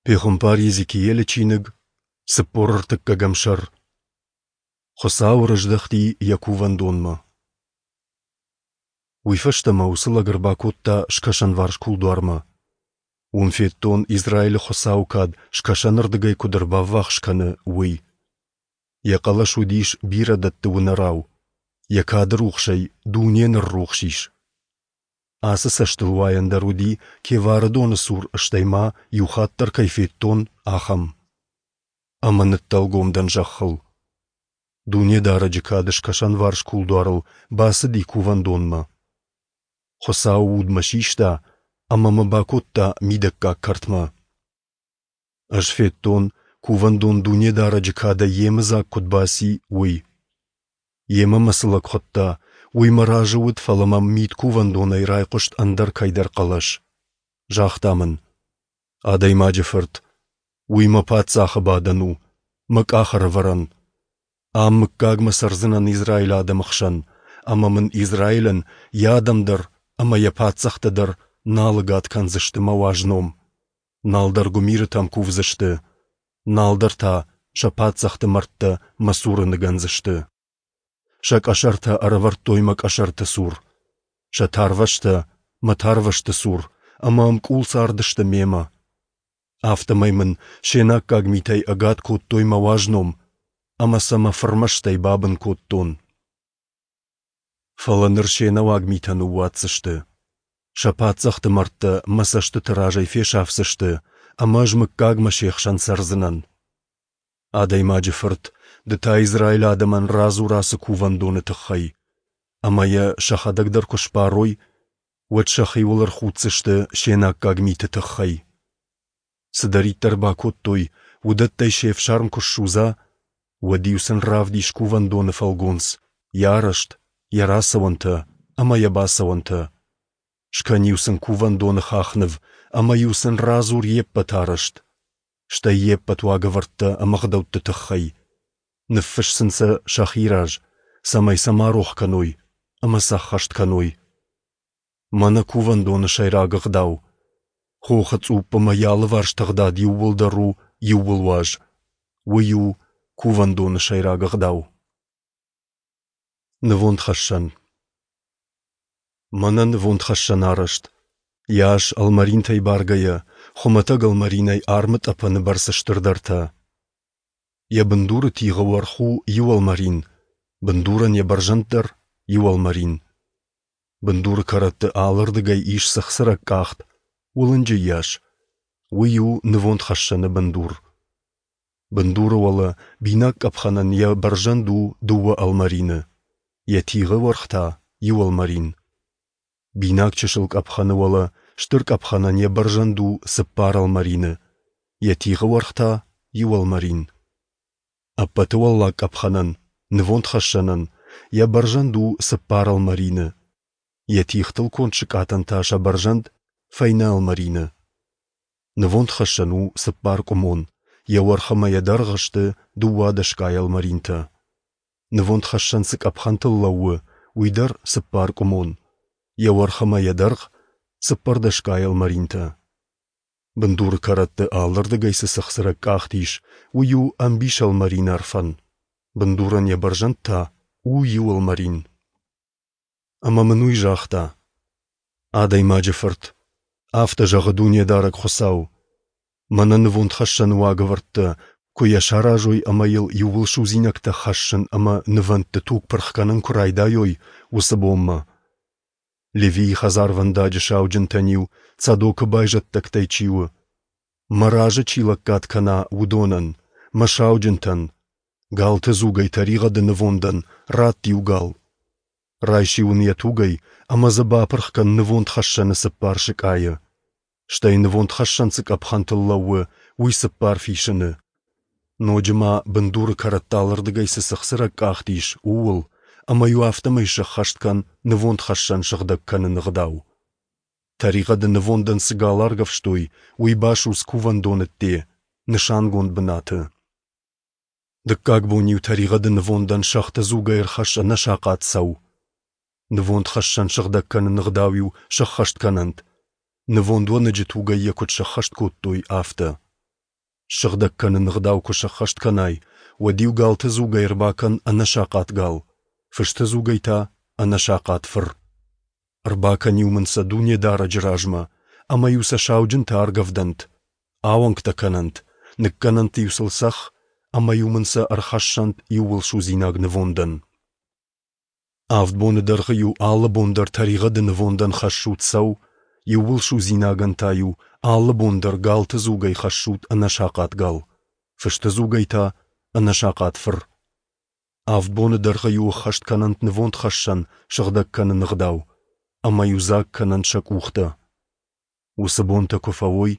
Пехуымпар Йезекиелы чиныг, 40 ӕртыккӕгӕм сӕр. Хуыцау ӕрыздӕхти йӕ кувӕндонмӕ. Уый фӕстӕ мӕ уыцы лӕг ӕрбакодта скӕсӕнварс кулдуармӕ. Уым федтон, Израилы Хуыцауы кад скӕсӕнырдыгӕй куыд ӕрбаввахс кӕны, уый. Йӕ хъӕлӕс уыдис бирӕ дӕтты уынӕрау, йӕ кады рухсӕй дуне ныррухс ис. Ацы цӕстылуайӕн дӕр уыди, Кевары доны цур, стӕй ма иу хатт дӕр кӕй федтон, ахӕм. Ӕмӕ ныддӕлгом дӕн зӕххыл. Дунедарӕджы кад скӕсӕнварс кулдуарыл бацыди кувӕндонмӕ. Хуыцауы уд мӕ систа ӕмӕ мӕ бакодта мидӕггаг кӕртмӕ. Ӕз федтон, кувӕндон Дунедарӕджы кадӕй йемыдзаг куыд баци, уый. Йемӕ мӕ цы лӕг хуыдта, уый мӕ разы уыд, фӕлӕ мӕм мидкувӕндонӕй райхъуыст ӕндӕр кӕйдӕр хъӕлӕс. Загъта мын: «Адӕймаджы фырт, уый мӕ паддзахы бадӕн у, мӕ къахӕрӕвӕрӕн. Ам мыггагмӕ цӕрдзынӕн Израилы адӕмы хсӕн, ӕмӕ мын Израилӕн йӕ адӕм дӕр ӕмӕ йӕ паддзӕхтӕ дӕр нал ӕгад кӕндзысты мӕ уаз ном. Нал дӕр гуымирытӕм кувдзысты, нал дӕр та сӕ паддзӕхты мӕрдтӕ мӕ цуры ныгӕндзысты. Сӕ къӕсӕртӕ ӕрӕвӕрдтой мӕ къӕсӕрты цур, сӕ тарвӕзтӕ мӕ тарвӕзты цур ӕмӕ ӕмкъул цардысты мемӕ. Афтӕмӕй мын се наккаг митӕй ӕгад кодтой мӕ уаз ном, ӕмӕ сӕ мӕ фырмӕстӕй бабын кодтон. Фӕлӕ ныр се нӕуаг митӕ ныууадздзысты. Сӕ паддзӕхты мӕрдтӕ мӕ цӕстыты разӕй фесӕфдзысты, ӕмӕ ӕз мыггагмӕ се хсӕн цӕрдзынӕн. Адӕймаджы фырт, ды та Израилы адӕмӕн радзур ацы кувӕндоны тыххӕй, ӕмӕ йӕ сӕхӕдӕг дӕр куы сбарой, уӕд сӕхиуыл ӕрхуддзысты се наккаг миты тыххӕй. Цыдӕриддӕр бакодтой, уыдӕттӕй се фсарм куы ссудза, уӕд-иу сын равдис кувӕндоны фӕлгонц, йӕ арӕзт, йӕ рацӕуӕнтӕ ӕмӕ йӕ бацӕуӕнтӕ. Скӕн-иу сын кувӕндоны хахныв ӕмӕ-иу сын радзур йе ппӕт арӕзт, стӕй йе ппӕт уагӕвӕрдтӕ ӕмӕ ӕгъдӕутты тыххӕй. Ныффысс сын сӕ сӕхи раз, цӕмӕй сӕ ма рох кӕной ӕмӕ сӕ ӕххӕст кӕной. Мӕнӕ кувӕндоны сӕйраг ӕгъдау. Хохы цъупп ӕмӕ йӕ алыварс тыгъдад иууылдӕр у иууылуаз. Уый у кувӕндоны сӕйраг ӕгъдау. Нывондхӕссӕн. Мӕнӕ нывондхӕссӕн арӕзт. Йӕ ас ӕлмӕринтӕй баргӕйӕ, хуымӕтӕг ӕлмӕринӕй армы тъӕпӕны бӕрц стырдӕртӕ. Йӕ бындуры тигъы уӕрх у иу ӕлмӕрин, бындурӕн йӕ бӕрзӕнд дӕр иу ӕлмӕрин. Бындуры кӕрӕтты алырдыгӕй ис цыхцырӕг къахт, уылынджы йас. Уый у нывондхӕссӕны бындур. Бындуры уӕлӕ бинаг къӕпхӕнӕн йӕ бӕрзӕнд у дыууӕ ӕлмӕрины, йӕ тигъы уӕрх та иу ӕлмӕрин. Бинаг чысыл къӕпхӕны уӕлӕ стыр къӕпхӕнӕн йӕ бӕрзӕнд у цыппар ӕлмӕрины, йӕ тигъы уӕрх та иу ӕлмӕрин. Ӕппӕты уӕллаг къӕпхӕнӕн, нывондхӕссӕнӕн, йӕ бӕрзӕнд у цыппар ӕлмӕрины, йӕ тигътыл конд сыкъатӕн та сӕ бӕрзӕнд фӕйнӕ ӕлмӕрины. Нывондхӕссӕн у цыппаркъуымон, йӕ уӕрх ӕмӕ йӕ дӕргъ сты дыууадӕсгай ӕлмӕринтӕ. Нывондхӕссӕн цы къӕпхӕнтыл лӕууы, уый дӕр цыппаркъуымон, йӕ уӕрх ӕмӕ йӕ дӕргъ цыппӕрдӕсгай ӕлмӕринтӕ. Бындуры кӕрӕтты алырдыгӕй цы цыхцырӕг къахт ис, уый у ӕмбис ӕлмӕрин ӕрфӕн, бындурӕн йӕ бӕрзӕнд та у иу ӕлмӕрин. Ӕмӕ мын уый загъта: Адӕймаджы фырт, афтӕ зӕгъы Дунедарӕг Хуыцау, мӕнӕ нывондхӕссӕны уагӕвӕрдтӕ, куы йӕ саразой ӕмӕ йыл иууылсудзинӕгтӕ хӕссын ӕмӕ нывӕндты туг пырх кӕнын куы райдайой, уыцы бонмӕ. Левийы хӕдзарвӕндаджы сауджынтӕн-иу Цадокы байзӕддӕгтӕй чи у, мӕ разы чи лӕггад кӕна, уыдонӕн, мӕ сауджынтӕн, галты дзугӕй тӕригъӕды нывондӕн ратт иу гал. Райс-иу ын йӕ тугӕй ӕмӕ дзы бапырх кӕн нывондхӕссӕны цыппар сыкъайы. Стӕй нывондхӕссӕн цы къӕпхӕнтыл лӕууы, уый цыппар фисыны. Ноджы ма бындуры кӕрӕтты алырдыгӕй цы цыхцырӕг къахт ис, ууыл, ӕмӕ-иу афтӕмӕй сӕххӕст кӕн нывондхӕссӕн сыгъдӕг кӕныны ӕгъдау. Тӕригъӕды нывондӕн цы гал аргӕвстой, уый басудз кувӕндоны ӕдде, нысангонд бынаты. Дыккаг бон-иу тӕригъӕды нывондӕн сӕгъты дзугӕй ӕрхӕсс ӕнӕсахъат цӕу. Нывондхӕссӕн сыгъдӕг кӕныны ӕгъдау-иу сӕххӕст кӕнӕнт, нывонд уӕныджы тугӕй йӕ куыд сӕххӕст кодтой, афтӕ. Ссыгъдӕг кӕныны ӕгъдау куы сӕххӕст кӕнай, уӕд-иу галты дзугӕй ӕрбакӕн ӕнӕсахъат гал, фысты дзугӕй та ӕнӕсахъат фыр. Ӕрбакӕн-иу мын сӕ Дунедарӕджы размӕ, ӕмӕ-иу сӕ сауджынтӕ аргӕвдӕнт, ауӕнгтӕ кӕнӕнт, ныккӕнӕнт-иу сыл цӕхх, ӕмӕ-иу мын сӕ ӕрхӕссӕнт иууылсудзинаг нывондӕн. Авд боны дӕргъы-иу алы бон дӕр тӕригъӕды нывондӕн хӕссут цӕу, иууылсудзинагӕн та-иу алы бон дӕр галты дзугӕй хӕссут ӕнӕсахъат гал, фысты дзугӕй та ӕнӕсахъат фыр. Авд боны дӕргъы-иу ӕххӕст кӕнӕнт нывондхӕссӕн сыгъдӕг кӕныны ӕгъдау, ӕмӕ-иу дзаг кӕнӕнт сӕ къухтӕ. Уыцы бонтӕ куы фӕуой,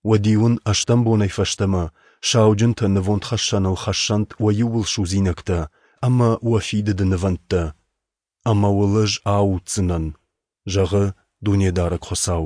уӕд-иу ын ӕстӕм бонӕй фӕстӕмӕ сауджынтӕ нывондхӕссӕныл хӕссӕнт уӕ иууылсудзинӕгтӕ ӕмӕ уӕ фидыды нывӕндтӕ, ӕмӕ уыл ӕз ауддзынӕн, зӕгъы Дунедарӕг Хуыцау.